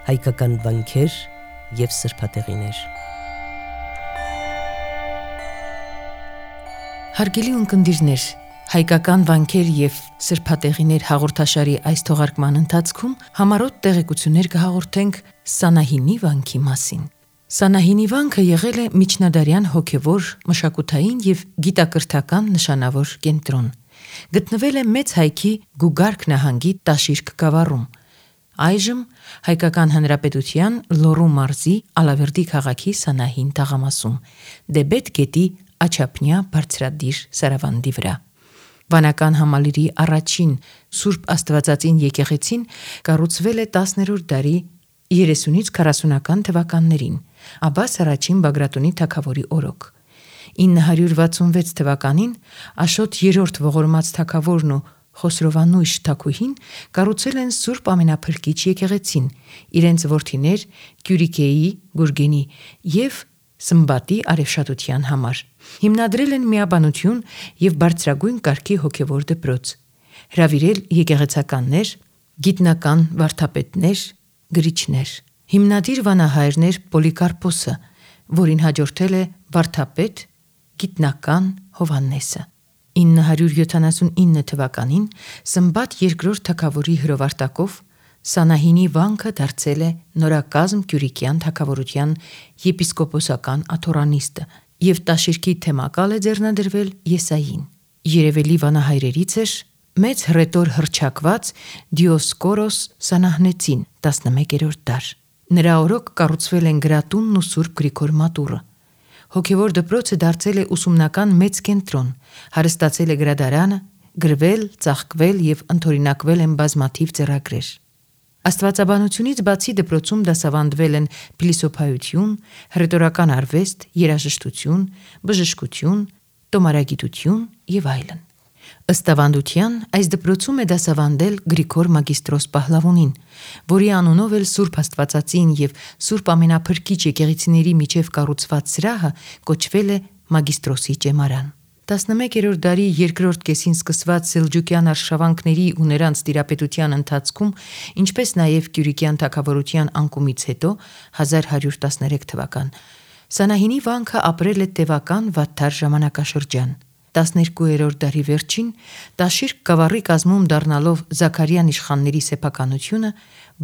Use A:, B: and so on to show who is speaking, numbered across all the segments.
A: հայկական վանքեր և սրբատեղիներ։
B: Հարգելի ունկնդիրներ, հայկական վանքեր և սրբատեղիներ հաղորդաշարի այս թողարկման ընթացքում համառոտ տեղեկություններ կհաղորդենք Սանահինի վանքի մասին։ Սանահինի վանքը եղել է միջնադարյան հոգևոր, մշակութային և գիտակրթական նշանավոր կենտրոն։ Գտնվել է Մեծ Հայքի Գուգարք նահանգի Տաշիրք գավառում։ Այժմ Հայկական Հանրապետության Լոռու մարզի Ալավերդի քաղաքի Սանահին թաղամասում, Դեբետ գետի աջափնյա բարձրադիր սարավանդի վրա։ Վանական համալիրի առաջին Սուրբ Աստվածածին եկեղեցին կառուցվել է 10-րդ դարի 30-ից 40-ական թվականներին, Աբբաս առաջին Բագրատունի թագավորի օրոք։ 966 թվականին Աշոտ 3-րդ ողորմած թագավորն ու Խոսրովանույշ թագուհին կառուցել են Սուրբ Ամենափրկիչ եկեղեցին իրենց որդիներ Կյուրիկեի, Գուրգենի և Սմբատի արևշատության համար։ Հիմնադրել են միաբանություն և բարձրագույն կարգի հոգևոր դպրոց, հրավիրել եկեղեցականներ, գիտնական վարդապետներ, գրիչներ։ Հիմնադիր վանահայրն էր Պոլիկարպոսը, որին հաջորդել է վարդապետ, գիտնական Հովհաննեսը։ 979 թվականին Սմբատ II թագավորի հրովարտակով Սանահինի վանքը դարձել է նորակազմ Կյուրիկյան թագավորության եպիսկոպոսական աթոռանիստը և Տաշիրքի թեմակալ է ձեռնադրվել Եսային։ Երևելի վանահայրերից էր մեծ հռետոր հռչակված Դիոսկորոս Սանահնեցին 11-րդ դար։ Նրա օրոք կառուցվել են Գրատունն ու Սուրբ Գրիգոր մատուռը։ Հոգևոր դպրոցը դարձել է ուսումնական մեծ կենտրոն, հարստացել է գրադարանը, գրվել, ծաղկվել և ընդօրինակվել են բազմաթիվ ձեռագրեր։ Աստվածաբանությունից բացի դպրոցում դասավանդվել են փիլիսոփայություն, հռետորական արվեստ, երաժշտություն, բժշկություն, տոմարագիտություն և այլն։ Ըստ ավանդության, այս դպրոցում է դասավանդել Գրիգոր Մագիստրոս Պահլավունին, որի անունով էլ Սուրբ Աստվածածին և Սուրբ Ամենափրկիչ եկեղեցիների միջև կառուցված սրահը կոչվել է Մագիստրոսի ճեմարան։ 11-րդ դարի երկրորդ կեսին սկսված սելջուկյան արշավանքների ու նրանց տիրապետության ընթացքում, ինչպես նաև Կյուրիկյան թագավորության անկումից հետո 1113 թվական, Սանահինի վանքը ապրել է տևական վատթար ժամանակաշրջան։ 12-րդ դարի վերջին Տաշիրք գավառի կազմում դառնալով Զաքարյան իշխանների սեփականությունը,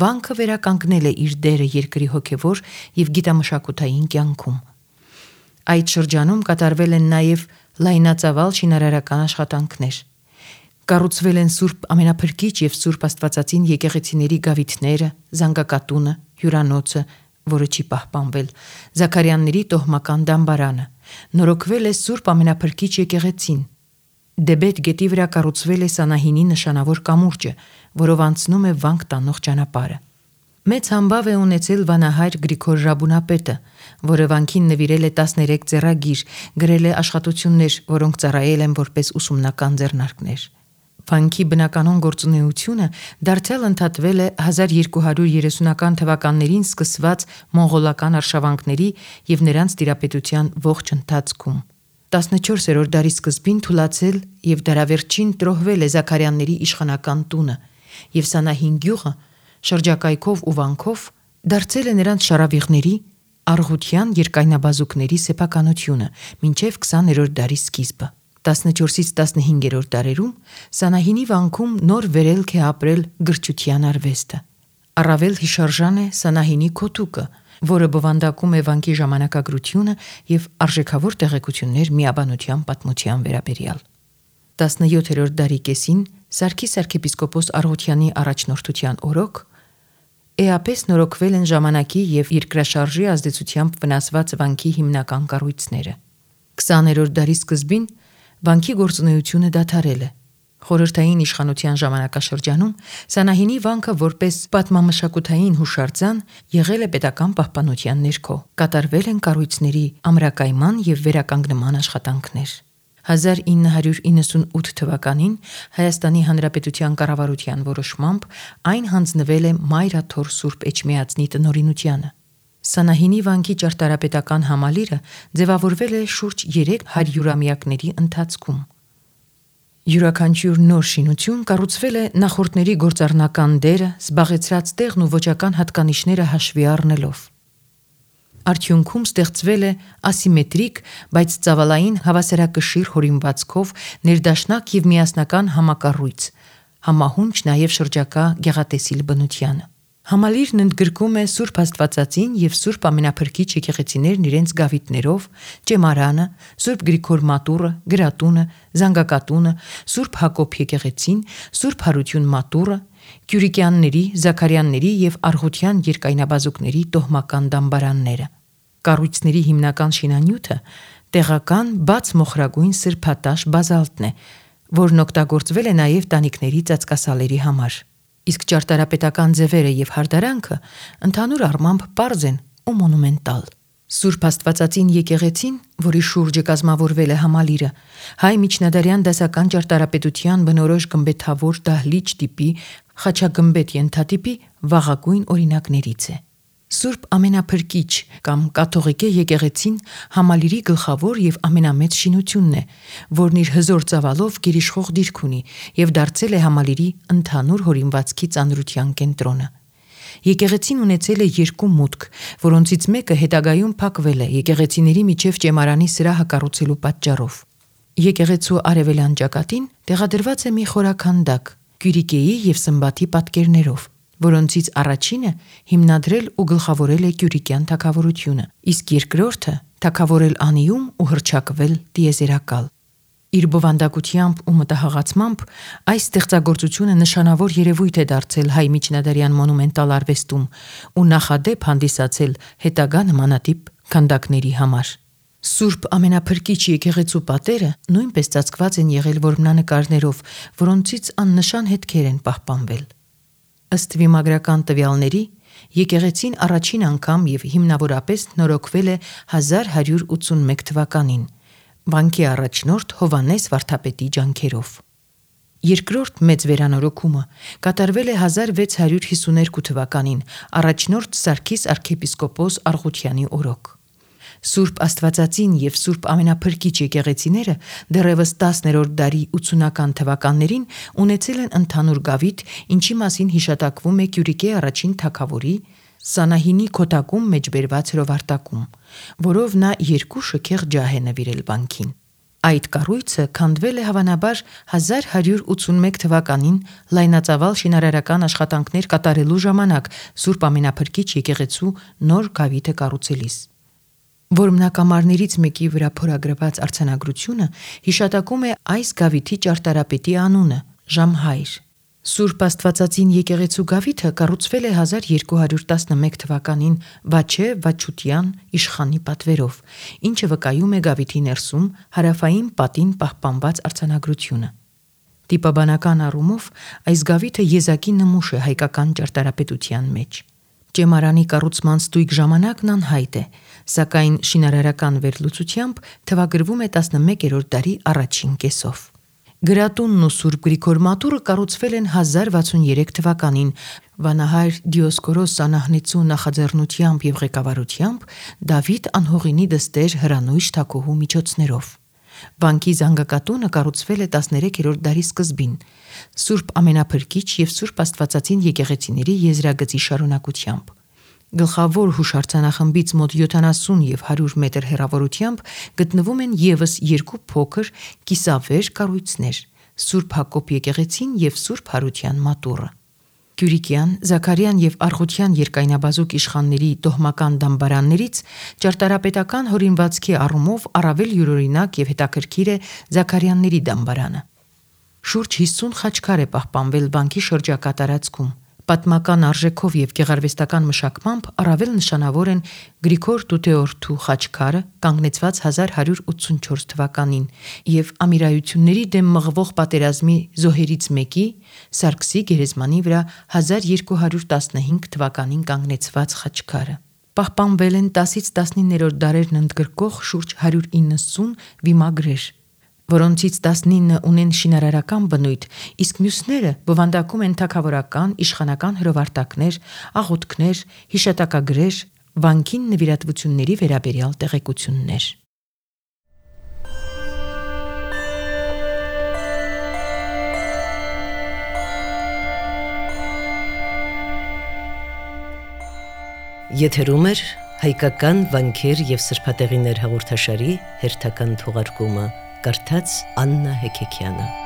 B: վանքը վերականգնել է իր դերը երկրի հոգևոր և գիտամշակութային կյանքում։ Այդ շրջանում կատարվել են նաև լայնածավալ շինարարական աշխատանքներ։ Կառուցվել են Սուրբ Ամենափրկիչ և Սուրբ Աստվածածին եկեղեցիների գավիթները, զանգակատունը, հյուրանոցը, որը չի պահպանվել, Զաքարյանների տոհմական դամբարանը, նորոգվել է Սուրբ Ամենափրկիչ եկեղեցին։ Դեբետ գետի վրա կառուցվել է Սանահինի նշանավոր կամուրջը, որով անցնում է վանք տանող ճանապարհը։ Մեծ համբավ է ունեցել վանահայր Գրիգոր Ռաբունապետը, որը վանքին նվիրել է 13 ձեռագիր, գրել է աշխատություններ, որոնք ծառայել են որպես ուսումնական ձեռնարկներ։ Վանքի բնականոն գործունեությունը դարձյալ ընդհատվել է 1230-ական թվականներին սկսված մոնղոլական արշավանքների և նրանց տիրապետության ողջ ընթացքում։ 14-րդ դարի սկզբին թուլացել և դարավերջին տրոհվել է Զաքարյանների իշխանական տունը, և Սանահին գյուղը շրջակայքով ու վանքով դարձել է նրանց շարավիղների, առղության երկայնաբազուկների սեփականությունը մինչև 20-րդ դարի սկիզբը։ 14-ից 15-րդ դարերում Սանահինի վանքում նոր վերելք է ապրել գրչության արվեստը։ Առավել հիշարժան է Սանահինի քոթուկը, որը բովանդակում է վանքի ժամանակագրությունը և արժեքավոր տեղեկություններ միաբանության պատմության վերաբերյալ։ 17-րդ դարի կեսին Սարգիս arczepiskopos Արգուտյանի առաջնորդության օրոք էապես նորոգվել են ժամանակի և երկրաշարժի ազդեցությամբ վնասված վանքի հիմնական կառույցները։ 20-րդ դարի սկզբին վանքի գործունեությունը դադարել է։ Խորհրդային իշխանության ժամանակաշրջանում Սանահինի վանքը որպես պատմամշակութային հուշարձան եղել է պետական պահպանության ներքո։ Կատարվել են կառույցների ամրակայման և վերականգնման աշխատանքներ։ 1998 թվականին Հայաստանի Հանրապետության կառավարության որոշմամբ այն հանձնվել է Մայրաթոր Սուրբ Էջմիածնի տնօրինությանը։ Սանահինի վանքի ճարտարապետական համալիրը ձևավորվել է շուրջ 3 հարյուրամյակների ընթացքում։ Յուրաքանչյուր նոր շինություն կառուցվել է նախորդների գործառնական դերը, զբաղեցրած տեղն ու ոճական հատկանիշները հաշվի առնելով։ Արդյունքում ստեղծվել է ասիմետրիկ, բայց ծավալային հավասարակշիռ հորինվածքով ներդաշնակ եւ միասնական համակառույց, համահունչ նաև շրջակա գեղատեսիլ բնությանը։ Համալիրն ընդգրկում է Սուրբ Աստվածածին եւ Սուրբ Ամենափրկիչ եկեղեցիներն իրենց գավիթներով, ճեմարանը, Սուրբ Գրիգոր մատուռը, գրատունը, զանգակատունը, Սուրբ Հակոբ եկեղեցին, Սուրբ Հարություն մատուռը, Կյուրիկյանների, Զաքարյանների եւ Արղության երկայնաբազուկների տոհմական դամբարանները։ Կառույցների հիմնական շինանյութը տեղական բաց մոխրագույն սրբատաշ բազալտն է, որն օգտագործվել է նաև տանիքների ծածկասալերի համար։ Իսկ ճարտարապետական ձևերը եւ հարդարանքը ընդհանուր առմամբ պարզ են ու մոնումենտալ։ Սուրբ Աստվածածին եկեղեցին, որի շուրջը կազմավորվել է համալիրը, հայ միջնադարյան դասական ճարտարապետության բնորոշ գմբեթավոր դահլիճ տիպի խաչագմբեթ ենթատիպի վաղագույն օրինակներից է։ Սուրբ Ամենափրկիչ կամ կաթողիկե եկեղեցին համալիրի գլխավոր եւ ամենամեծ շինությունն է, որն իր հզոր ծավալով գերիշխող դիրք ունի եւ դարձել է համալիրի ընդհանուր հորինվածքի ծանրության կենտրոնը։ Եկեղեցին ունեցել է 2 մուտք, որոնցից մեկը հետագայում փակվել է եկեղեցիների միջև ճեմարանի սրահը կառուցելու պատճառով։ Եկեղեցու արևելյան ճակատին տեղադրված է մի խորաքանդակ Կյուրիկեի եւ Սմբաթի պատկերներով, որոնցից առաջինը հիմնադրել ու գլխավորել է Կյուրիկյան թագավորությունը, իսկ երկրորդը թագավորել անիում ու հռչակվել տիեզերակալ։ Իր բովանդակությամբ ու մտահղացմամբ այս ստեղծագործությունը նշանավոր երևույթ է դարձել հայ միջնադարյան մոնումենտալ արվեստում ու նախադեպ հանդիսացել հետագա նմանատիպ քանդակների համար։ Սուրբ Ամենափրկիչ եկեղեցու պատերը նույնպես ծածկված են եղել որմնանկարներով, որոնցից աննշան հետքեր են պահպանվել։ Ըստ վիմագրական տվյալների, եկեղեցին առաջին անգամ եւ հիմնավորապես նորոգվել է 1181 թվականին, վանքի առաջնորդ Հովհաննես վարդապետի ջանքերով։ Երկրորդ մեծ վերանորոգումը կատարվել է 1652 թվականին, առաջնորդ Սարգիս arczepiskopos Արղությանի օրոք։ Սուրբ Աստվածածին եւ Սուրբ Ամենափրկիչ եկեղեցիները դեռևս 10-րդ դարի 80-ական թվականներին ունեցել են ընդհանուր գավիթ, ինչի մասին հիշատակվում է Կյուրիկե առաջին թագավորի Սանահինի քոտակում մեջ բերված հրովարտակում, որով նա 2 շքեղ ջահ է նվիրել վանքին։ Այդ կառույցը քանդվել է հավանաբար 1181 թվականին լայնածավալ շինարարական աշխատանքներ կատարելու ժամանակ Սուրբ Ամենափրկիչ եկեղեցու նոր գավիթը կառուցելիս։ Որմնակամարներից մեկի վրա փորագրված արձանագրությունը հիշատակում է այս գավիթի ճարտարապետի անունը՝ Ժամհայր։ Սուրբ Աստվածածին եկեղեցու գավիթը կառուցվել է 1211 թվականին Վաչե Վաչուտյան իշխանի պատվերով, ինչը վկայում է գավիթի ներսում հարավային պատին պահպանված արձանագրությունը։ Տիպաբանական առումով այս գավիթը եզակի նմուշ է հայկական ճարտարապետության մեջ։ Ճեմարանի կառուցման ստույգ ժամանակն անհայտ է, սակայն շինարարական վերլուծությամբ թվագրվում է 11-րդ դարի առաջին կեսով։ Գրատունն ու Սուրբ Գրիգոր մատուռը կառուցվել են 1063 թվականին վանահայր Դիոսկորոս Սանահնեցու նախաձեռնությամբ եւ ղեկավարությամբ Դավիթ Անհողինի դստեր Հրանույշ թագուհու միջոցներով։ Վանքի զանգակատունը կառուցվել է 13-րդ դարի սկզբին Սուրբ Ամենափրկիչ եւ Սուրբ Աստվածածին եկեղեցիների եզրագծի շարունակությամբ։ Գլխավոր հուշարձանախմբից մոտ 70 եւ 100 մետր հեռավորությամբ գտնվում են եւս 2 փոքր կիսավեր կառույցներ՝ Սուրբ Հակոբ եկեղեցին եւ Սուրբ Հարության մատուռը։ Կյուրիկյան, Զաքարյան եւ Արղության երկայնաբազուկ իշխանների տոհմական դամբարաններից ճարտարապետական հորինվածքի առումով առավել յուրօրինակ եւ հետաքրքիր է Զաքարյանների դամբարանը։ Շուրջ 50 խաչքար է պահպանվել վանքի շրջակա տարածքում։ Պատմական արժեքով եւ գեղարվեստական մշակմամբ առավել նշանավոր են Գրիգոր Տուտեորթու խաչքարը, կանգնեցված 1184 թվականին, եւ ամիրայությունների դեմ մղվող պատերազմի զոհերից մեկի Սարգսի գերեզմանի վրա 1215 թվականին կանգնեցված խաչքարը։ Պահպանվել են 10-ից 19-րդ դարերն ընդգրկող շուրջ 190 վիմագրեր, որոնցից 19 ունեն շինարարական բնույթ, իսկ մյուսները բովանդակում են թագավորական, իշխանական հրովարտակներ, աղոթքներ, հիշատակագրեր, վանքին նվիրատվությունների վերաբերյալ տեղեկություններ։
A: Եթերում է հայկական վանքեր եւ սրբատեղիներ հաղորդաշարի հերթական թողարկումը, կարդաց Աննա Հեքեքյանը։